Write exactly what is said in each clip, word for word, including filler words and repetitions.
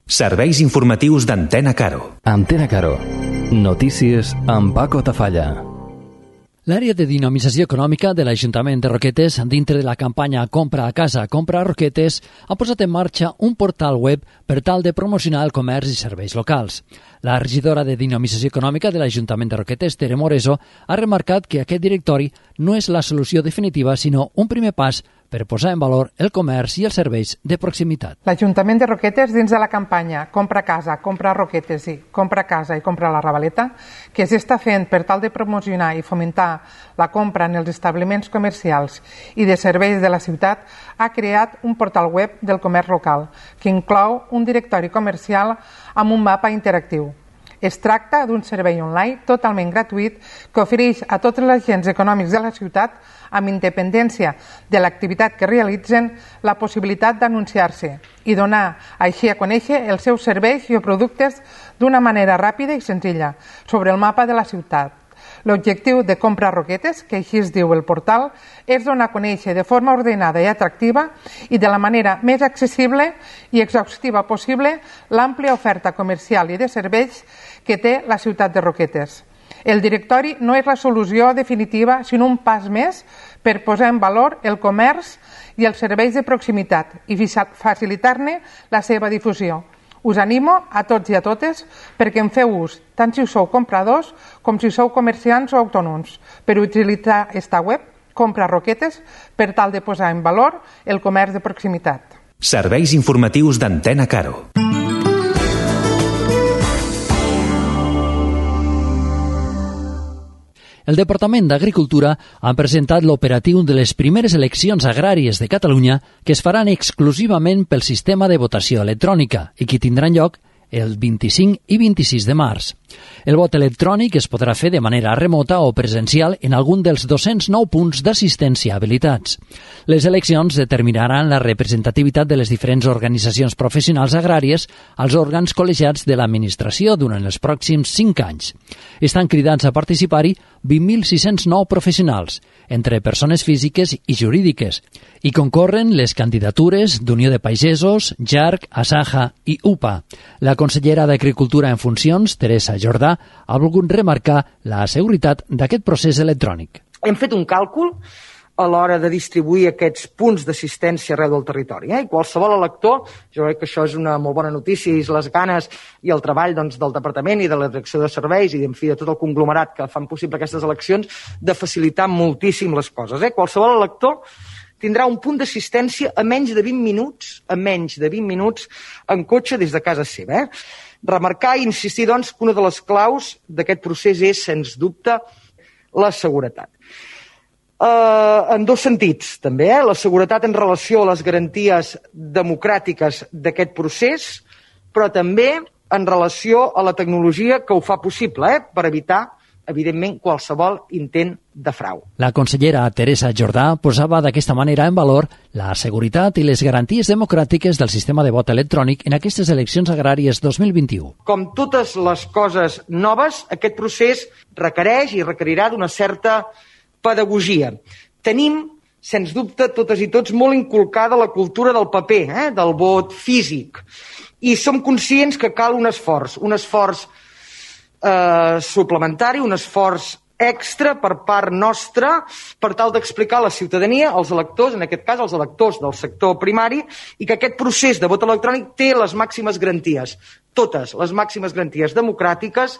Serveis informatius d'Antena Caro. Antena Caro. Notícies amb Paco Tafalla. L'àrea de dinamització econòmica de l'Ajuntament de Roquetes, dintre de la campanya Compra a casa, compra a Roquetes, ha posat en marxa un portal web per tal de promocionar el comerç i serveis locals. La regidora de Dinamització Econòmica de l'Ajuntament de Roquetes, Tere Moreso, ha remarcat que aquest directori no és la solució definitiva, sinó un primer pas per posar en valor el comerç i els serveis de proximitat. L'Ajuntament de Roquetes, dins de la campanya Compra casa, compra a Roquetes i compra casa i compra a la Ravaleta, que s'està fent per tal de promocionar i fomentar la compra en els establiments comercials i de serveis de la ciutat, ha creat un portal web del comerç local, que inclou un directori comercial amb un mapa interactiu. Es tracta d'un servei online totalment gratuït que ofereix a tots els agents econòmics de la ciutat, amb independència de l'activitat que realitzen, la possibilitat d'anunciar-se i donar així a conèixer els seus serveis i productes d'una manera ràpida i senzilla sobre el mapa de la ciutat. L'objectiu de Compra Roquetes, que així es diu el portal, és donar a conèixer de forma ordenada i atractiva i de la manera més accessible i exhaustiva possible l'àmplia oferta comercial i de serveis que té la ciutat de Roquetes. El directori no és la solució definitiva, sinó un pas més per posar en valor el comerç i els serveis de proximitat i facilitar-ne la seva difusió. Us animo a tots i a totes perquè en feu ús, tant si sou compradors com si sou comerciants o autònoms, per utilitzar esta web, Compra Roquetes, per tal de posar en valor el comerç de proximitat. Serveis informatius d'Antena Caro. El Departament d'Agricultura ha presentat l'operatiu de les primeres eleccions agràries de Catalunya que es faran exclusivament pel sistema de votació electrònica i que tindran lloc el vint-i-cinc i vint-i-sis de març. El vot electrònic es podrà fer de manera remota o presencial en algun dels dos-cents nou punts d'assistència habilitats. Les eleccions determinaran la representativitat de les diferents organitzacions professionals agràries als òrgans col·legiats de l'administració durant els pròxims cinc anys. Estan cridats a participar-hi vint mil sis-cents nou professionals, entre persones físiques i jurídiques, i concorren les candidatures d'Unió de Pagesos, J A R C, Asaja i U P A. La consellera d'Agricultura en funcions, Teresa Jordà, ha volgut remarcar la seguretat d'aquest procés electrònic. Hem fet un càlcul a l'hora de distribuir aquests punts d'assistència arreu del territori. Eh? I qualsevol elector, jo crec que això és una molt bona notícia, i les ganes i el treball doncs, del Departament i de la direcció de serveis i en fi, de tot el conglomerat que fan possible aquestes eleccions, de facilitar moltíssim les coses. Eh? Qualsevol elector tindrà un punt d'assistència a menys de vint minuts, a menys de vint minuts en cotxe des de casa seva. Eh? Remarcar i insistir, doncs, que una de les claus d'aquest procés és, sens dubte, la seguretat. Uh, en dos sentits, també, eh? La seguretat en relació a les garanties democràtiques d'aquest procés, però també en relació a la tecnologia que ho fa possible, eh? Per evitar, evidentment, qualsevol intent de frau. La consellera Teresa Jordà posava d'aquesta manera en valor la seguretat i les garanties democràtiques del sistema de vot electrònic en aquestes eleccions agràries dos mil vint-i-u. Com totes les coses noves, aquest procés requereix i requerirà d'una certa pedagogia. Tenim, sens dubte, totes i tots molt inculcada la cultura del paper, eh? Del vot físic. I som conscients que cal un esforç, un esforç eh, suplementari, un esforç extra per part nostra per tal d'explicar a la ciutadania, als electors, en aquest cas als electors del sector primari, i que aquest procés de vot electrònic té les màximes garanties, totes les màximes garanties democràtiques,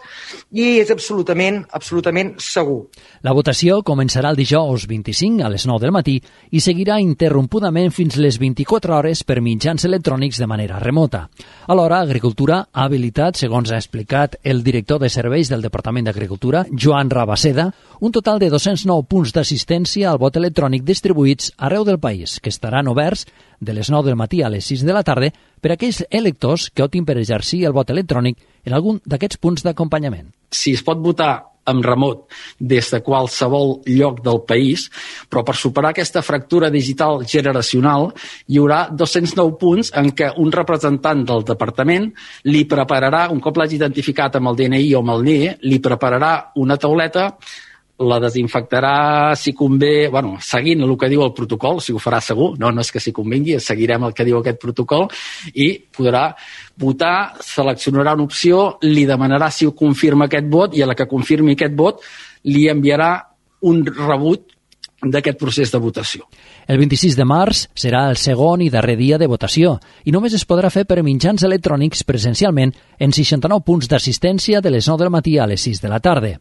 i és absolutament, absolutament segur. La votació començarà el dijous vint-i-cinc a les nou del matí i seguirà interrompudament fins les vint-i-quatre hores per mitjans electrònics de manera remota. Alhora, Agricultura ha habilitat, segons ha explicat el director de serveis del Departament d'Agricultura, Joan Rabaseda, un total de dos-cents nou punts d'assistència al vot electrònic distribuïts arreu del país, que estaran oberts de les nou del matí a les sis de la tarda per a aquells electors que optin per exercir el vot electrònic en algun d'aquests punts d'acompanyament. Si es pot votar en remot des de qualsevol lloc del país, però per superar aquesta fractura digital generacional hi haurà dos-cents nou punts en què un representant del departament li prepararà, un cop l'hagi identificat amb el D N I o amb el N I E, li prepararà una tauleta la desinfectarà si convé, bueno, seguint el que diu el protocol, si ho farà segur, no, no és que si convengui, seguirem el que diu aquest protocol, i podrà votar, seleccionarà una opció, li demanarà si ho confirma aquest vot, i a la que confirmi aquest vot li enviarà un rebut d'aquest procés de votació. El vint-i-sis de març serà el segon i darrer dia de votació i només es podrà fer per mitjans electrònics presencialment en seixanta-nou punts d'assistència de les nou del matí a les sis de la tarda.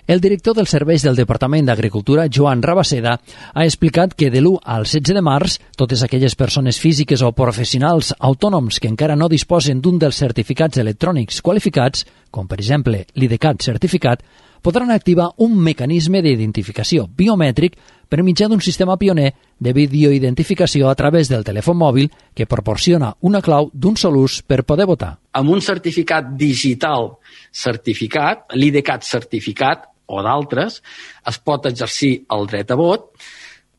El director dels serveis del Departament d'Agricultura, Joan Rabaseda, ha explicat que de l'u al setze de març totes aquelles persones físiques o professionals autònoms que encara no disposen d'un dels certificats electrònics qualificats, com per exemple l'IDCAT certificat, podran activar un mecanisme d'identificació biomètric per mitjà d'un sistema pioner de videoidentificació a través del telèfon mòbil que proporciona una clau d'un sol ús per poder votar. Amb un certificat digital certificat, l'IDCAT certificat o d'altres, es pot exercir el dret a vot,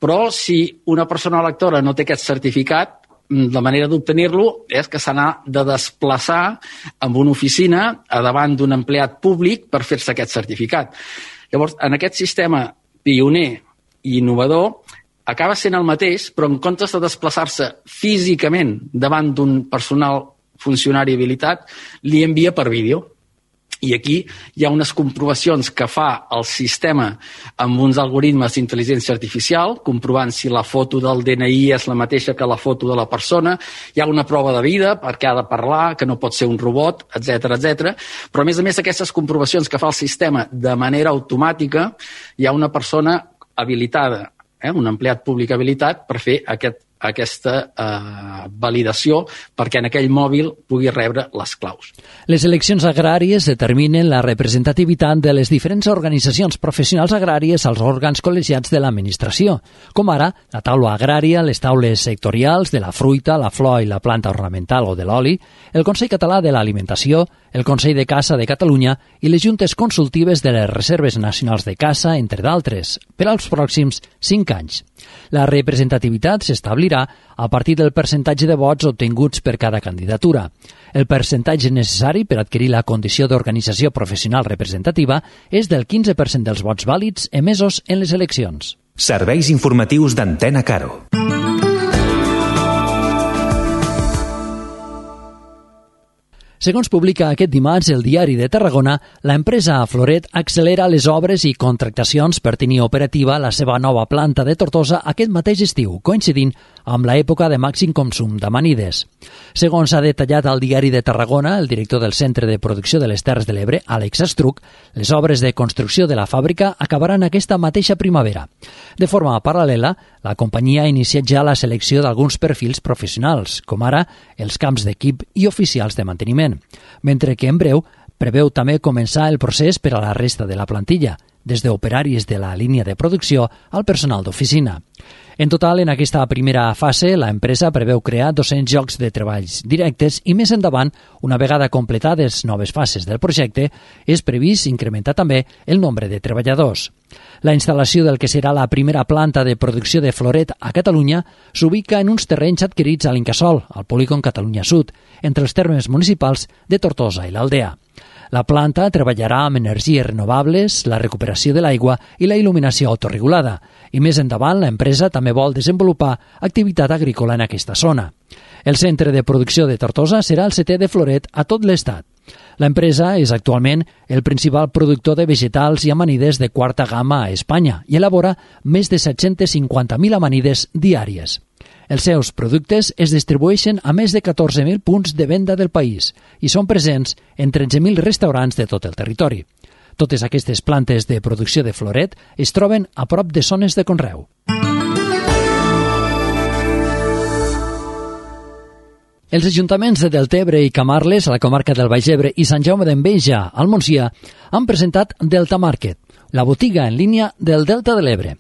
però si una persona electora no té aquest certificat, la manera d'obtenir-lo és que s'ha de desplaçar amb una oficina a davant d'un empleat públic per fer-se aquest certificat. Llavors, en aquest sistema pioner i innovador, acaba sent el mateix, però en comptes de desplaçar-se físicament davant d'un personal funcionari habilitat, li envia per vídeo. I aquí hi ha unes comprovacions que fa el sistema amb uns algoritmes d'intel·ligència artificial, comprovant si la foto del D N I és la mateixa que la foto de la persona, hi ha una prova de vida perquè ha de parlar, que no pot ser un robot, etcètera, etcètera. Però a més a més aquestes comprovacions que fa el sistema de manera automàtica, hi ha una persona habilitada, eh, un empleat públic habilitat per fer aquest aquesta eh, validació perquè en aquell mòbil pugui rebre les claus. Les eleccions agràries determinen la representativitat de les diferents organitzacions professionals agràries als òrgans col·legiats de l'administració, com ara la taula agrària, les taules sectorials de la fruita, la flor i la planta ornamental o de l'oli, el Consell Català de l'Alimentació, el Consell de Caça de Catalunya i les juntes consultives de les Reserves Nacionals de Caça, entre d'altres, per als pròxims cinc anys. La representativitat s'establirà a partir del percentatge de vots obtinguts per cada candidatura. El percentatge necessari per adquirir la condició d'organització professional representativa és del quinze per cent dels vots vàlids emesos en les eleccions. Serveis informatius d'Antena Caro. Segons publica aquest dimarts el Diari de Tarragona, l'empresa Floret accelera les obres i contractacions per tenir operativa la seva nova planta de Tortosa aquest mateix estiu, coincidint amb l'època de màxim consum d'amanides. Segons ha detallat al Diari de Tarragona el director del Centre de Producció de les Terres de l'Ebre, Àlex Estruc, les obres de construcció de la fàbrica acabaran aquesta mateixa primavera. De forma paral·lela, la companyia ha iniciat ja la selecció d'alguns perfils professionals, com ara els camps d'equip i oficials de manteniment, mentre que en breu preveu també començar el procés per a la resta de la plantilla, des d'operaris de la línia de producció al personal d'oficina. En total, en aquesta primera fase, la empresa preveu crear dos-cents llocs de treballs directes i més endavant, una vegada completades noves fases del projecte, és previst incrementar també el nombre de treballadors. La instal·lació del que serà la primera planta de producció de Floret a Catalunya s'ubica en uns terrenys adquirits a l'Incasòl, al polígon Catalunya Sud, entre els termes municipals de Tortosa i l'Aldea. La planta treballarà amb energies renovables, la recuperació de l'aigua i la il·luminació autorregulada, i més endavant l'empresa també vol desenvolupar activitat agrícola en aquesta zona. El centre de producció de Tortosa serà el setè de Floret a tot l'estat. L'empresa és actualment el principal productor de vegetals i amanides de quarta gamma a Espanya i elabora més de set-cents cinquanta mil amanides diàries. Els seus productes es distribueixen a més de catorze mil punts de venda del país i són presents en tretze mil restaurants de tot el territori. Totes aquestes plantes de producció de Floret es troben a prop de zones de conreu. Els ajuntaments de Deltebre i Camarles, a la comarca del Baix Ebre, i Sant Jaume d'Enveja, al Montsià, han presentat Delta Market, la botiga en línia del Delta de l'Ebre.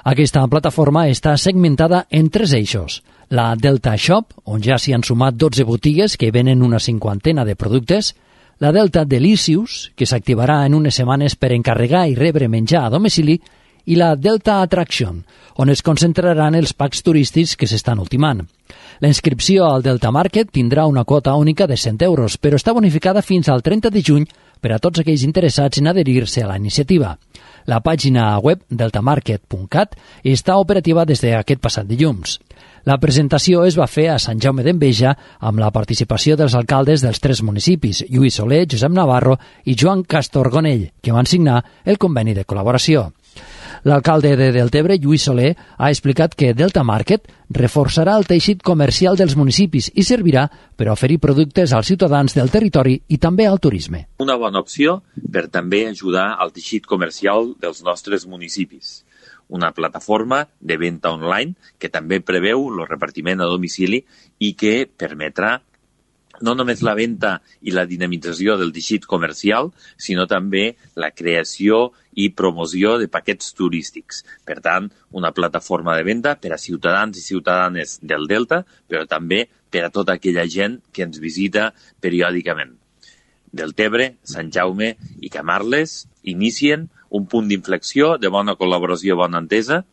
Aquesta plataforma està segmentada en tres eixos. La Delta Shop, on ja s'hi han sumat dotze botigues que venen una cinquantena de productes, la Delta Delicious, que s'activarà en unes setmanes per encarregar i rebre menjar a domicili, i la Delta Attraction, on es concentraran els packs turístics que s'estan ultimant. La inscripció al Delta Market tindrà una quota única de cent euros, però està bonificada fins al trenta de juny per a tots aquells interessats en adherir-se a la iniciativa. La pàgina web deltamarket punt cat està operativa des d'aquest passat dilluns. La presentació es va fer a Sant Jaume d'Enveja amb la participació dels alcaldes dels tres municipis, Lluís Soler, Josep Navarro i Joan Castorgonell, que van signar el conveni de col·laboració. L'alcalde de Deltebre, Lluís Soler, ha explicat que Delta Market reforçarà el teixit comercial dels municipis i servirà per oferir productes als ciutadans del territori i també al turisme. Una bona opció per també ajudar al teixit comercial dels nostres municipis. Una plataforma de venda online que també preveu el repartiment a domicili i que permetrà no només la venda i la dinamització del teixit comercial, sinó també la creació i promoció de paquets turístics. Per tant, una plataforma de venda per a ciutadans i ciutadanes del Delta, però també per a tota aquella gent que ens visita periòdicament. Deltebre, Sant Jaume i Camarles inicien un punt d'inflexió de bona col·laboració i bona entesa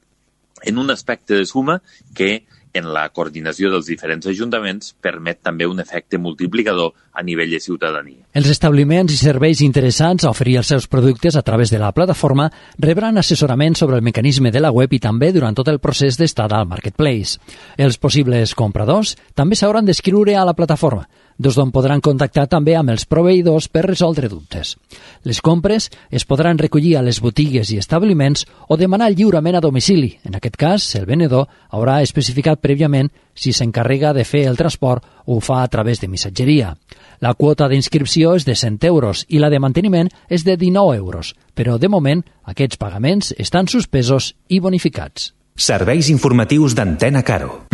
en un aspecte de suma que en la coordinació dels diferents ajuntaments permet també un efecte multiplicador a nivell de ciutadania. Els establiments i serveis interessants a oferir els seus productes a través de la plataforma rebran assessorament sobre el mecanisme de la web i també durant tot el procés d'estada al Marketplace. Els possibles compradors també s'hauran d'escriure a la plataforma, des d'on podran contactar també amb els proveïdors per resoldre dubtes. Les compres es podran recollir a les botigues i establiments o demanar lliurement a domicili. En aquest cas, el venedor haurà especificat prèviament si s'encarrega de fer el transport o ho fa a través de missatgeria. La quota d'inscripció és de cent euros i la de manteniment és de dinou euros, però de moment aquests pagaments estan suspesos i bonificats. Serveis informatius d'Antena Caro.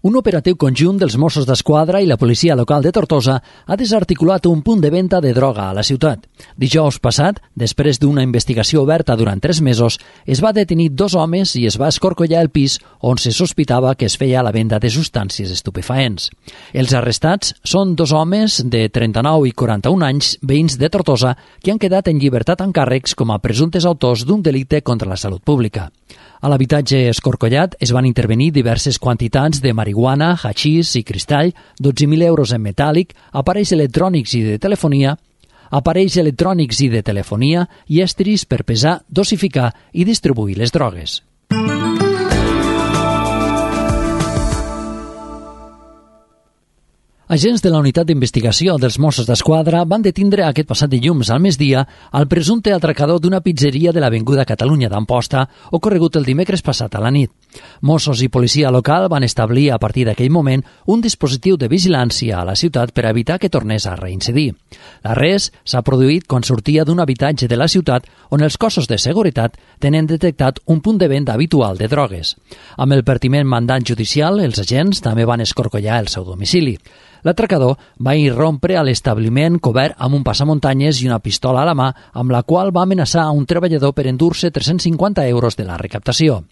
Un operatiu conjunt dels Mossos d'Esquadra i la policia local de Tortosa ha desarticulat un punt de venda de droga a la ciutat. Dijous passat, després d'una investigació oberta durant tres mesos, es va detenir dos homes i es va escorcollar el pis on se sospitava que es feia la venda de substàncies estupefaents. Els arrestats són dos homes de trenta-nou i quaranta-un anys, veïns de Tortosa, que han quedat en llibertat amb càrrecs com a presumptes autors d'un delicte contra la salut pública. A l'habitatge escorcollat es van intervenir diverses quantitats de marihuana, hachís i cristall, dotze mil euros en metàl·lic, aparells electrònics i de telefonia, aparells electrònics i de telefonia i estris per pesar, dosificar i distribuir les drogues. Agents de la unitat d'investigació dels Mossos d'Esquadra van detindre aquest passat dilluns al migdia el presumpte atracador d'una pizzeria de l'Avinguda Catalunya d'Amposta, ocorregut el dimecres passat a la nit. Mossos i policia local van establir a partir d'aquell moment un dispositiu de vigilància a la ciutat per evitar que tornés a reincidir. L'arrest s'ha produït quan sortia d'un habitatge de la ciutat on els cossos de seguretat tenen detectat un punt de venda habitual de drogues. Amb el pertinent mandat judicial, els agents també van escorcollar el seu domicili. L'atracador va irrompre a l'establiment cobert amb un passamuntanyes i una pistola a la mà, amb la qual va amenaçar a un treballador per endur-se tres-cents cinquanta euros de la recaptació.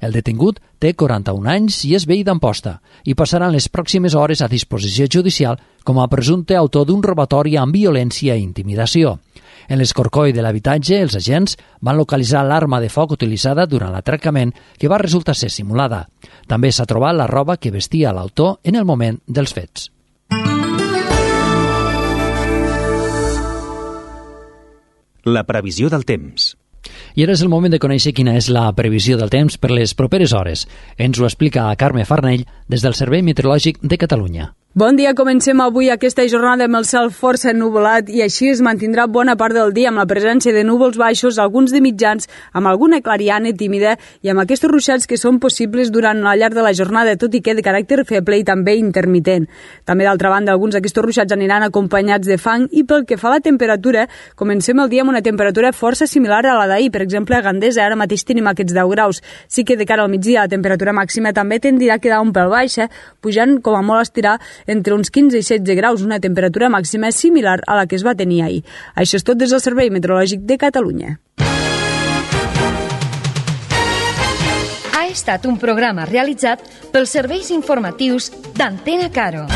El detingut té quaranta-un anys i és veí d'Amposta i passaran les pròximes hores a disposició judicial com a presumpte autor d'un robatori amb violència i intimidació. En l'escorcoll de l'habitatge, els agents van localitzar l'arma de foc utilitzada durant l'atracament, que va resultar ser simulada. També s'ha trobat la roba que vestia l'autor en el moment dels fets. La previsió del temps. I ara és el moment de conèixer quina és la previsió del temps per les properes hores. Ens ho explica Carme Farnell des del Servei Meteorològic de Catalunya. Bon dia, comencem avui aquesta jornada amb el cel força ennuvolat i així es mantindrà bona part del dia amb la presència de núvols baixos, alguns de mitjans, amb alguna clariana tímida i amb aquests ruixats que són possibles durant la llarg de la jornada, tot i que de caràcter feble i també intermitent. També, d'altra banda, alguns d'aquests ruixats aniran acompanyats de fang i pel que fa a la temperatura, comencem el dia amb una temperatura força similar a la d'ahir. Per exemple, a Gandesa ara mateix tenim aquests deu graus. Sí que de cara al migdia la temperatura màxima també tendirà a quedar un pèl baixa, pujant com a molt a estirar entre uns quinze i setze graus, una temperatura màxima similar a la que es va tenir ahir. Això és tot des del Servei Meteorològic de Catalunya. Ha estat un programa realitzat pels serveis informatius d'Antena Caro.